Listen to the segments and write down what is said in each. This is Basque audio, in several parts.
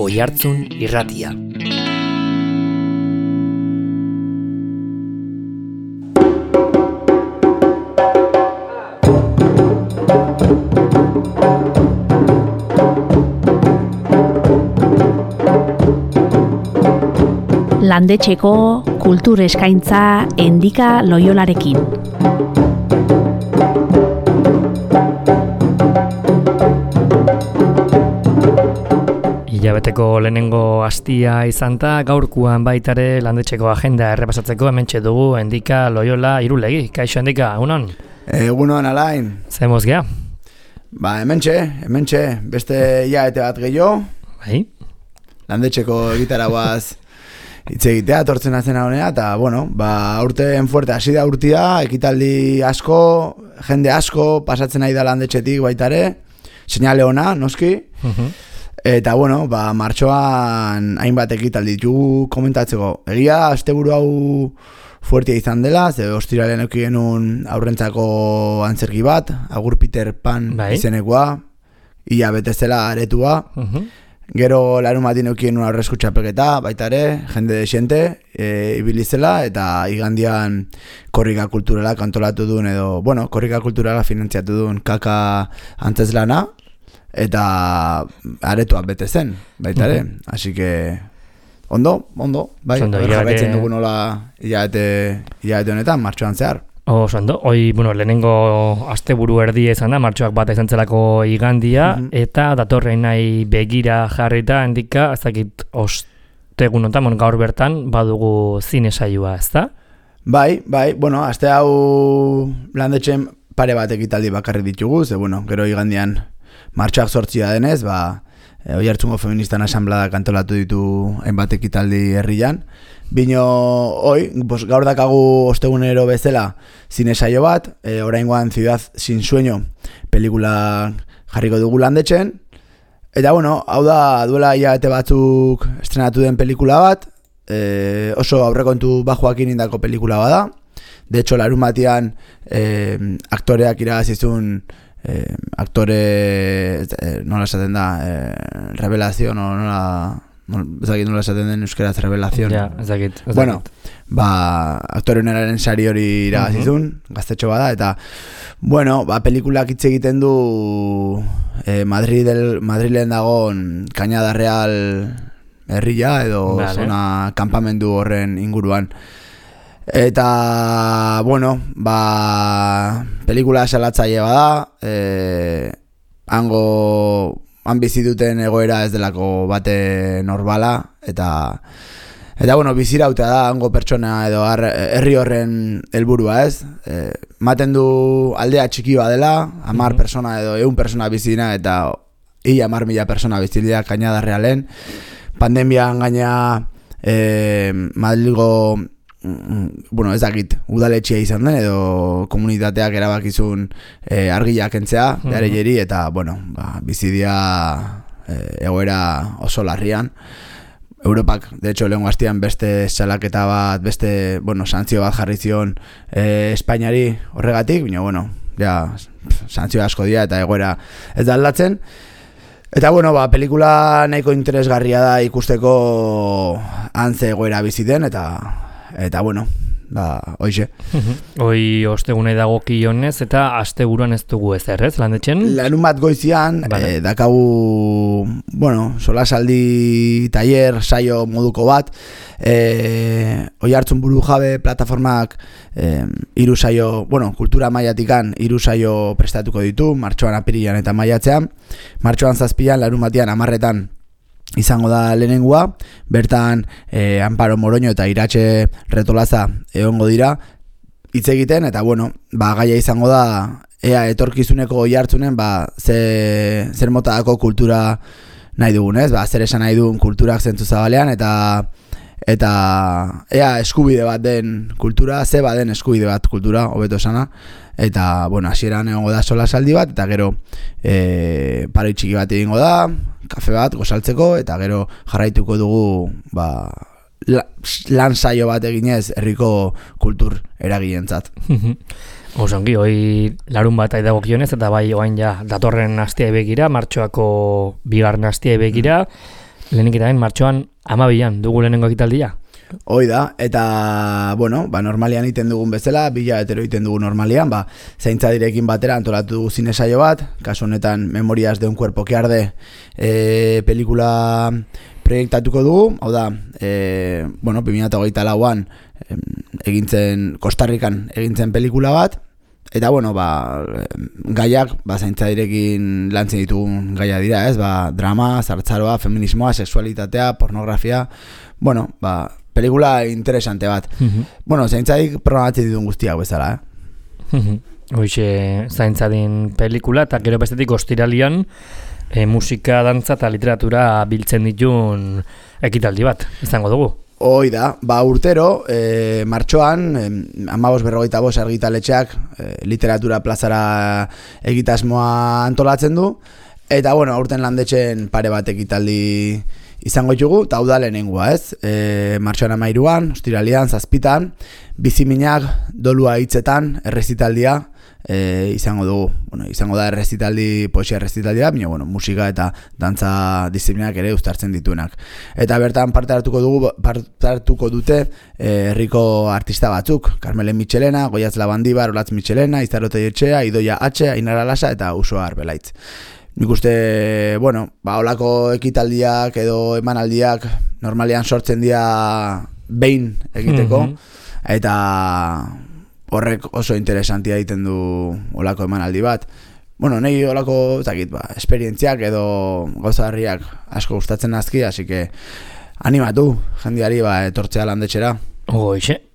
Oihartzun Irratia. Landetxeko kultur eskaintza Endika Loiolarekin. Hilabeteko lehenengo astia izan da, gaurkuan baitare landetxeko agenda errepasatzeko hementxe dugu Endika Loiola Irulegi. Kaixo Endika, egunon? Egunon, Alain. Zemoz gea? Ba, hementxe, beste hilabete bat gehiago. Bai? Landetxeko egitaragoaz hitz egitea, tortzen atzen honea, eta, bueno, ba, aurten fuerte hasi da urtia, ekitaldi asko, jende asko, pasatzen nahi da landetxetik baitare, seinale ona, noski, eta, bueno, ba, martxoan hainbat ekitaldi ditugu komentatzeko. Egia, asteburu hau fuertea izan dela, ze ostiralean eduki genuen aurrentzako antzerki bat, Agur Peter Pan izenekoa, ia betezela aretua, gero larumatin eukien una horrezkutxapelketa, baita ere, jende desiente, ibilizela, eta igandian korrika kulturala kantolatu duen edo, bueno, korrika kulturala finantziatu duen kaka antzeslana, eta aretoak bete zen, baita ere, así que ondo, bai, jarraitzen dugu nola hilabete honetan, martxoan zehar. Ondo, lehenengo asteburu erdia izan da, martxoak bat izan zelako igandia, eta datorrein nahi begira jarrita, Endika, ezakit ostegunotan, gaur bertan, badugu zine saioa, ezta? Bai, bueno, aste hau landetxen pare bat ekitaldi bakarrik ditugu, ze, bueno, gero igandian martxoak 8 denez, Oihartzungo Feministan asanblada kantolatu ditu hainbat ekitaldi herrian. Bino, gaur dakagu ostegunero bezala zine saio bat, oraingoan Ciudad sin sueño pelikula jarriko dugu landetxen. Eta, bueno, hau da duela hilabete batzuk estrenatu den pelikula bat, oso aurrekontu bajoakin indako pelikula bada. De hecho, larun batean aktoreak iragazizun aktore nola esaten da revelación o nola esaten den euskeraz revelación ezakit. Bueno, aktore honeraren sari hori iragazizun gaztetxo bada, eta bueno, pelikulak hitz egiten du Madrilen dagoen Cañada Real herria edo zona kanpamendu horren inguruan. Eta, bueno, pelikula salatzaile bada, han bizi duten egoera ez delako bate normala, eta bueno, bizirauta da hango pertsona edo herri horren helburua, ez? Maten du aldea txiki badela, 10 persona edo 100 persona bizina, eta 10.000 persona bizilea Cañada Realen. Pandemian gaina Madrilgo ez dakit, udaletxea izan den edo komunitateak erabakizun argiak kentzea, beharei eta, bueno, bizidia egoera oso larrian. Europak, de hecho, lehengo hastian beste salaketa bat, beste, santzio bat jarri zion Espainiari horregatik, baina, bueno, santzio asko dira eta egoera ez da aldatzen. Eta, bueno, pelikula nahiko interesgarria da ikusteko antze egoera biziten, eta bueno, hoize. Hoi ostegune dago kionez, eta asteburuan ez dugu ezer, ez, landetxen? Larun bat goizian, dakagu, solasaldi taller, saio moduko bat, Oihartzun Burujabe plataformak 3 saio, kultura mailatikan 3 saio prestatuko ditu, martxoan, apirilean eta maiatzean. Martxoan 7, larun batean 10 izango da lehenengua, bertan Amparo Moroño eta Iratxe Retolaza egongo dira hitz egiten, eta bueno, gaia izango da ea etorkizuneko Oihartzunen zer motadako kultura nahi dugun, ez? Zer esan nahi dugun kulturak zentzu zabalean, eta ea eskubide bat den kultura, ze baden eskubide bat kultura, hobeto esana. Eta, bueno, hasieran egongo da solasaldi bat, eta gero paroi txiki bat egingo da, kafe bat gozaltzeko, eta gero jarraituko dugu lan saio bat eginez herriko kultur eragilentzat. Osongi, hoi larun bat dago kionez, eta bai oain datorren astia begira, martxoako 2. astia begira, Lehenik eta martxoan 12an dugu lehenengo ekitaldia. Hoi da, eta, bueno, normalian iten dugun bezala, 2 hilabetero iten dugu normalian, zaintza direkin batera antolatu dugu zine saio bat, kasu honetan Memorias de un cuerpo que arde pelikula proiektatuko dugu, hau da, 2024an egintzen, Kostarrikan egintzen pelikula bat, eta, gaiak, zaintza direkin lantzen ditugun gaia dira, ez, drama, zartzaroa, feminismoa, sexualitatea, pornografia, pelikula interesante bat. Zaintzadik programatzen ditun guztiak bezala, Hoxe, zaintzadin pelikula, eta gero bestetik ostiralian musika, dantza eta literatura biltzen ditun ekitaldi bat, izango dugu. Hoi da, urtero, martxoan, 15:45 argitaletxeak literatura plazara egitasmoa antolatzen du, eta, aurten landetxen pare bat ekitaldi izango ditugu, eta hau da lehenengoa, ez? Martxoan 13an, ostiralian, 7an, biziminak, dolua hitzetan, errezitaldia izango dugu. Izango da poesia errezitaldia, baina, musika eta dantza disiplinak ere uztartzen dituenak. Eta bertan parte hartuko dute herriko artista batzuk, Carmelen Michelena, Goiatz Labandibar, Olatz Michelena, Izarrote Etxea, Idoia H, Ainara Lasa eta Usoa Arbelaitz. Nik uste, holako ekitaldiak edo emanaldiak normalean sortzen dira behin egiteko, eta horrek oso interesantia egiten du holako emanaldi bat. Nahi holako, esperientziak edo gauzagarriak asko gustatzen azki, así que animatu jendeari etortzea landetxera. Hoxe,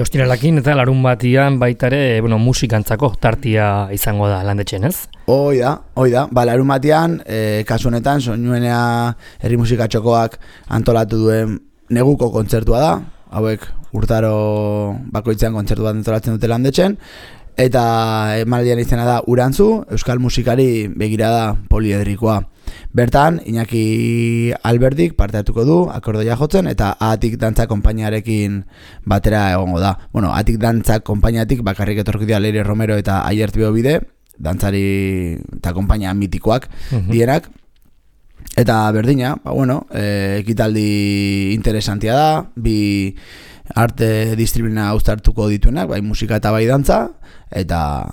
ostiralakin eta larun batian baitare musikantzako tartia izango da landetxen, ez? Hoi da, larun batian, kasu honetan, Soinuenea herri musikatxokoak antolatu duen neguko kontzertua da, hauek urtaro bakoitzean kontzertu bat antolatzen dute landetxen, eta emanaldian izena da Urantzu, euskal musikari begirada poliedrikoa. Bertan, Iñaki Alberdik parte hartuko du, akordeia jotzen, eta Atik Dantza konpainiarekin batera egongo da. Atik Dantza konpainiatik bakarrik etorki dira Leire Romero eta Aiert Beobide, dantzari eta konpainia mitikoak dienak. Eta berdina, ekitaldi interesantia da, bi arte disiplina uztartuko dituenak, bai musika eta bai dantza, eta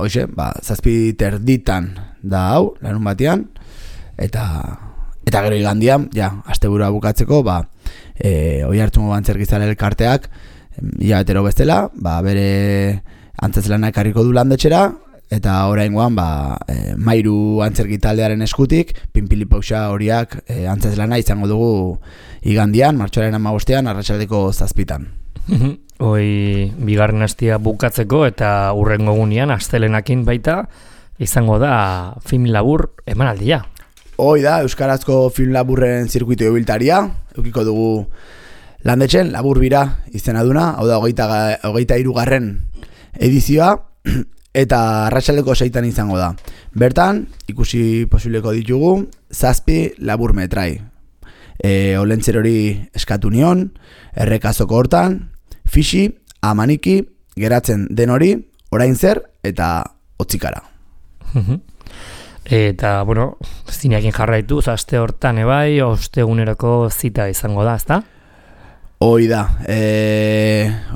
hoxe, 7:30 da hau, larun batean, eta gero igandian, asteburua bukatzeko, Oiartzungo Antzerkizale elkarteak, hilabetero bestela, bere antzezlana ekarriko du landetxera, eta oraingoan Mairu Antzerkitaldearen eskutik, Pinpili Pauxa horiak antzezlana izango dugu igandian, martxoaren 15ean, arratsaldeko 7:00. Bigarren astia bukatzeko eta hurrengo egunean astelenakin baita izango da film labur emanaldia. Hoi da, euskarazko film laburren zirkuito ibiltaria, edukiko dugu landetxen, labur bira izena duna, hau da 23. edizioa, eta arratsaldeko 6:00 izango da. Bertan, ikusi posibleko ditugu, 7 labur metrai. Olentzer hori eskatu nion, errekazoko hortan, Fixi, Amaniki, geratzen den hori, orain zer, eta otzikara. Eta, zineakin jarraitu, aste hortan ebai, ostegunerako zita izango da, ezta? Hoi da,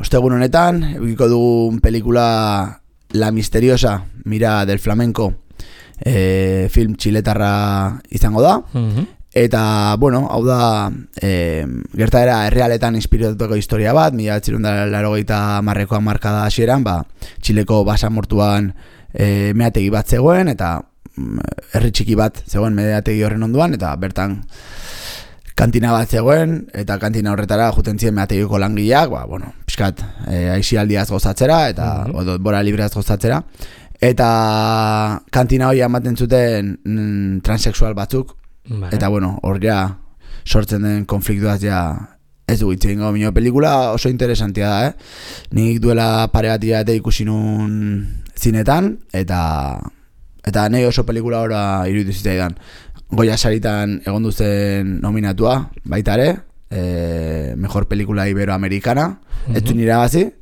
ostegun honetan, egiko dugun pelikula La Misteriosa, Mira del Flamenco, film txiletarra izango da, eta, hau da, gertaera errealetan inspiratutako historia bat, 1980ko hamarkada hasieran, Txileko basamortuan meategi bat zegoen, eta herri txiki bat zegoen meategi horren onduan, eta bertan kantina bat zegoen, eta kantina horretara juten ziren meategiko langileak, pixkat, aisialdiaz gozatzera, eta bora libreaz gozatzera, eta kantina hori ematen zuten transexual batzuk, eta hor sortzen den konfliktuaz ez du hitz egingo minio pelikula oso interesantia da, nik duela pare bat hilabete ikusi nun zinetan, eta nahi oso pelikula ora iruditu zitzaidan. Goya saritan egon duzen nominatua, baita ere, mejor pelikula iberoamerikana, ez du nire gazi.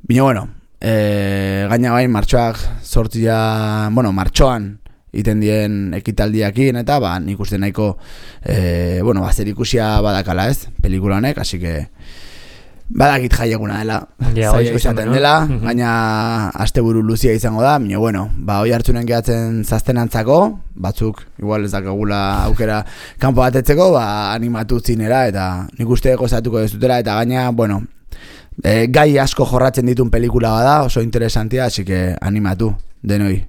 Bino, gaina bain, martxoan iten dien ekitaldiakin, eta nik uste nahiko zer ikusia badakala ez, pelikula honek, así que badakit jaieguna dela, zaila izaten dela, baina asteburu luzia izango da, hoi hartzunen gehatzen zaztenantzako, batzuk, igual ez dakagula aukera kanpo batetzeko, animatu zinera, eta nik uste gozatuko dezutela, eta gaina, gai asko jorratzen ditun pelikula bada, oso interesantia, así que animatu denoi.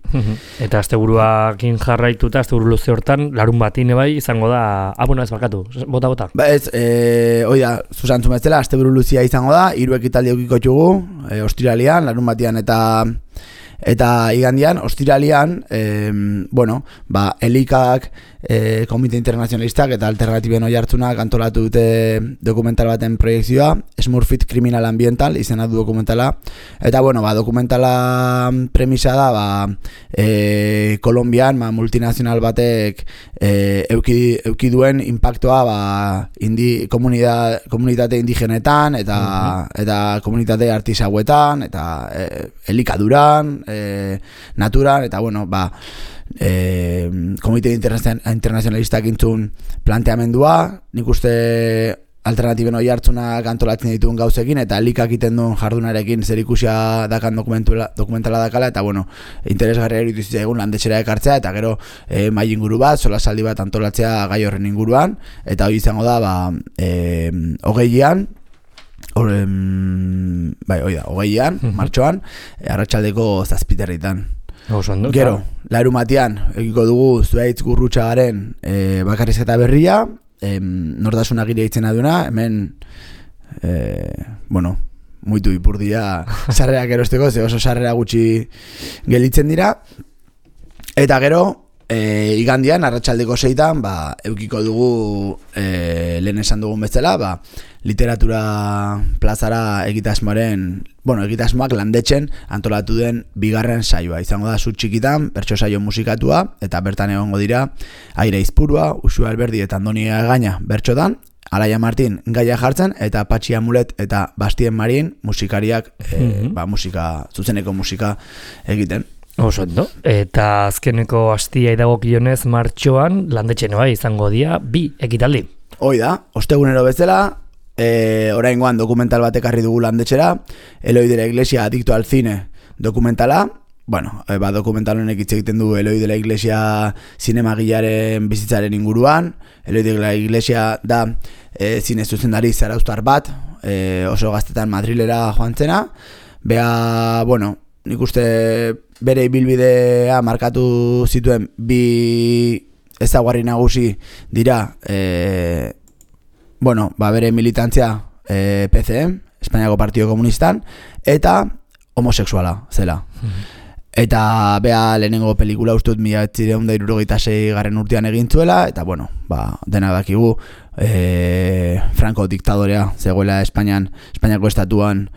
Eta asteburuakin jarraituta, asteburu luze hortan, larun batin bai izango da, ez barkatu, bota. Hoi da, zuzantzu bezala, asteburu luzia izango da, 3 ekitaldi eukiko txugu, ostiralian, larun batian eta igandian, ostiralian, Elikak, Komite Internazionalistak eta Alternatiben Oihartzunak antolatu dute dokumental baten proiekzioa, Smurfit Criminal Ambiental, izena du dokumentala, eta dokumentala premisa da, Kolombian, multinazional batek euki duen impactoa, komunitate indigenetan, eta komunitate artisauetan, eta elikaduran, naturan, eta Komite Internazionalistak intzun planteamendua, nik uste Alternatiben Oihartzunak antolatzen dituen gauzekin, eta Elikak iten duen jardunarekin zer ikusia dakan dokumentala dakala, eta interesgarria iruditu zitzaigun landetxera ekartzea, eta gero mahai inguru bat, solasaldi bat antolatzea gai horren inguruan, eta hori izango da, hogeian, hogeian, martxoan, arratsaldeko 7:00. Gero, larumatian, egiko dugu Zuaitz Gurrutxagaren bakarrizketa berria, nortasun agire hitzen aduna, hemen, muitu ipurdia sarrerak erosteko, ze oso sarrera gutxi gelitzen dira, eta gero, igandian, arratsaldeko 6:00, eukiko dugu lehen esan dugun bezala, literatura plazara egitasmoak landetxen antolatu den bigarren saioa. Izango da zu txikitan, bertso saio musikatua, eta bertan egongo dira Aire Izpurua, Uxu Alberdi eta Andoni Gaina bertsotan, Alaia Martin gaia jartzen, eta Patxi Amulet eta Bastien Marin musikariak, zuzeneko musika egiten. Oso ondo. Eta azkeneko astia idagokionez martxoan landetxen izango dira 2 ekitaldi. Hoi da, ostegunero bezala, oraingoan dokumental bat ekarri dugu landetxera, Eloi de la Iglesia Adicto al Cine dokumentala, dokumental honek hitz egiten du Eloi de la Iglesia zinemagilaren bizitzaren inguruan. Eloi de la Iglesia da zine zuzendari zarauztar bat, oso gaztetan Madrilera joan zena, nik uste bere ibilbidea markatu zituen 2 ezaugarri nagusi dira, bere militantzia PCM, Espainiako Partido Komunistan, eta homosexuala zela. Eta lehenengo pelikula ustut 1976 urtean egin zuela, eta dena dakigu Franco diktadorea zegoela Espainiako estatuan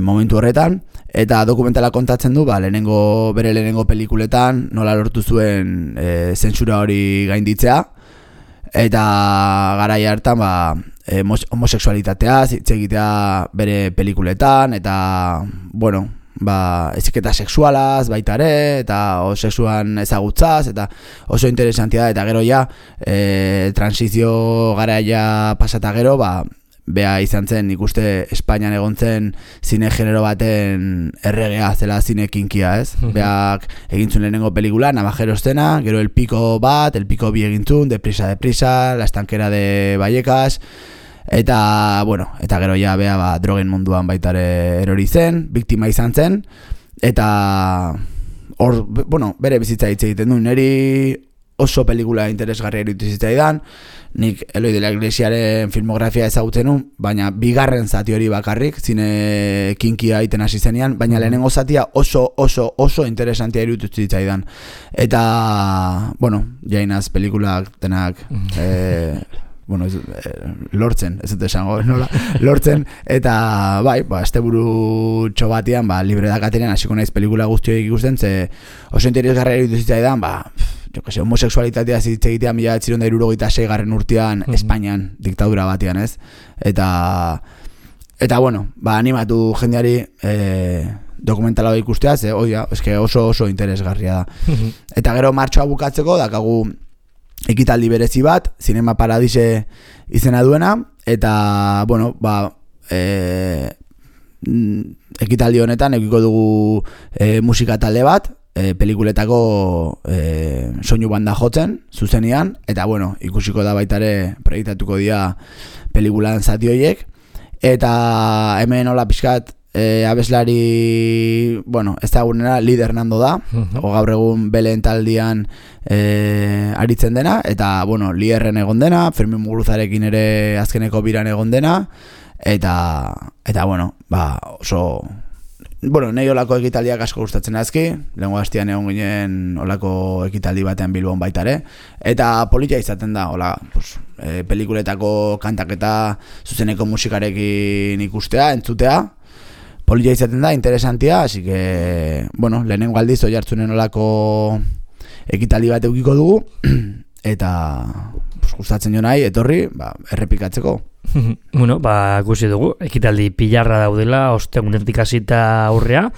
momentu horretan, eta dokumentala kontatzen du, bere lehenengo pelikuletan nola lortu zuen zentsura hori gainditzea, eta garai hartan homosexualitatea hitz egitea bere pelikuletan, eta eziketa sexualaz baita ere, eta sexuan ezagutzaz, eta oso interesantia da, eta gero transizio garaia pasata gero, bea izan zen, ikuste Espainian egon zen zine genero baten erregea, zela zine kinkia, ez? Beak egintzun lehenengo pelikula, Navajeros zena, gero El Pico bat, El Pico 2 egintzun, Deprisa, La Estankera de Vallecas, eta gero bea drogen munduan baitare erori zen, biktima izan zen, eta bere bizitza hitz egiten du, niri oso pelikula interesgarria iruditu zitzaidan, nik Eloi de la Iglesiaren filmografia ezagutzen nun, baina bigarren zati hori bakarrik, zine kinkia egiten hasi zenean, baina lehenengo zatia oso interesantia iruditu zitzaidan. Eta, jainaz pelikulak denak lortzen, ez dut esango, nola, lortzen, eta asteburu txobatian, libre dakatenean, hasiko naiz pelikula guztioik ikusten, ze oso interesgarria iruditu zitzaidan, homosexualitatea hitz egitea 1976 urtean Espainian, diktadura batean, ez? Eta animatu jendeari dokumentala ikustea, eske oso interesgarria da. Eta gero martxoa bukatzeko dakagu ekitaldi berezi bat, Zinema Paradise izena duena, eta, bueno, ekitaldi honetan edukiko dugu musika talde bat, pelikuletako soinu banda jotzen, zuzenean, eta, bueno, ikusiko da baitare proiektatuko dira pelikulan zati horiek, eta hemen hola pixkat abeslari, bueno, ez da egunera Lider Nando da, gaur egun Belen taldian aritzen dena, eta, bueno, Liderren egon dena, Fermin Muguruzarekin ere azkeneko biran egon dena, eta bueno, oso... Bueno, nahi olako ekitaldiak asko gustatzen azki, lehenko hastian egon ginen olako ekitaldi batean Bilbon baitare, eta politia izaten da, pelikuletako kantaketa zuzeneko musikarekin ikustea, entzutea, politia izaten da, interesantia, así que, bueno, lehenengo aldiz Oiartzunen olako ekitaldi bat edukiko dugu, eta gustatzen jo nahi, etorri, errepikatzeko. Bueno, ikusi dugu, ekitaldi pilarra daudela, ostegunetik hasita aurrea,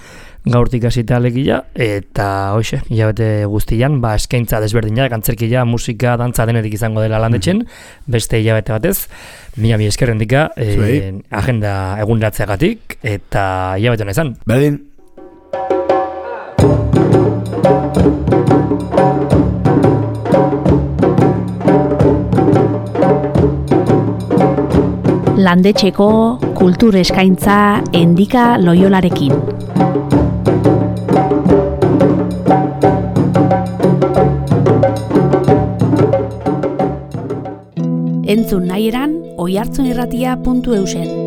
gaurtik hasita alegia, eta hoxe, hilabete guztian, eskaintza desberdinak, antzerkia, musika, dantza denetik izango dela Landetxen, beste hilabete batez, mila eskerrendika, agenda egunratzeagatik, eta hilabete hona izan. Berdin. Landetxeko kultur eskaintza Endika Loiolarekin. Entzun nahi eran, oihartzunirratia.eusen.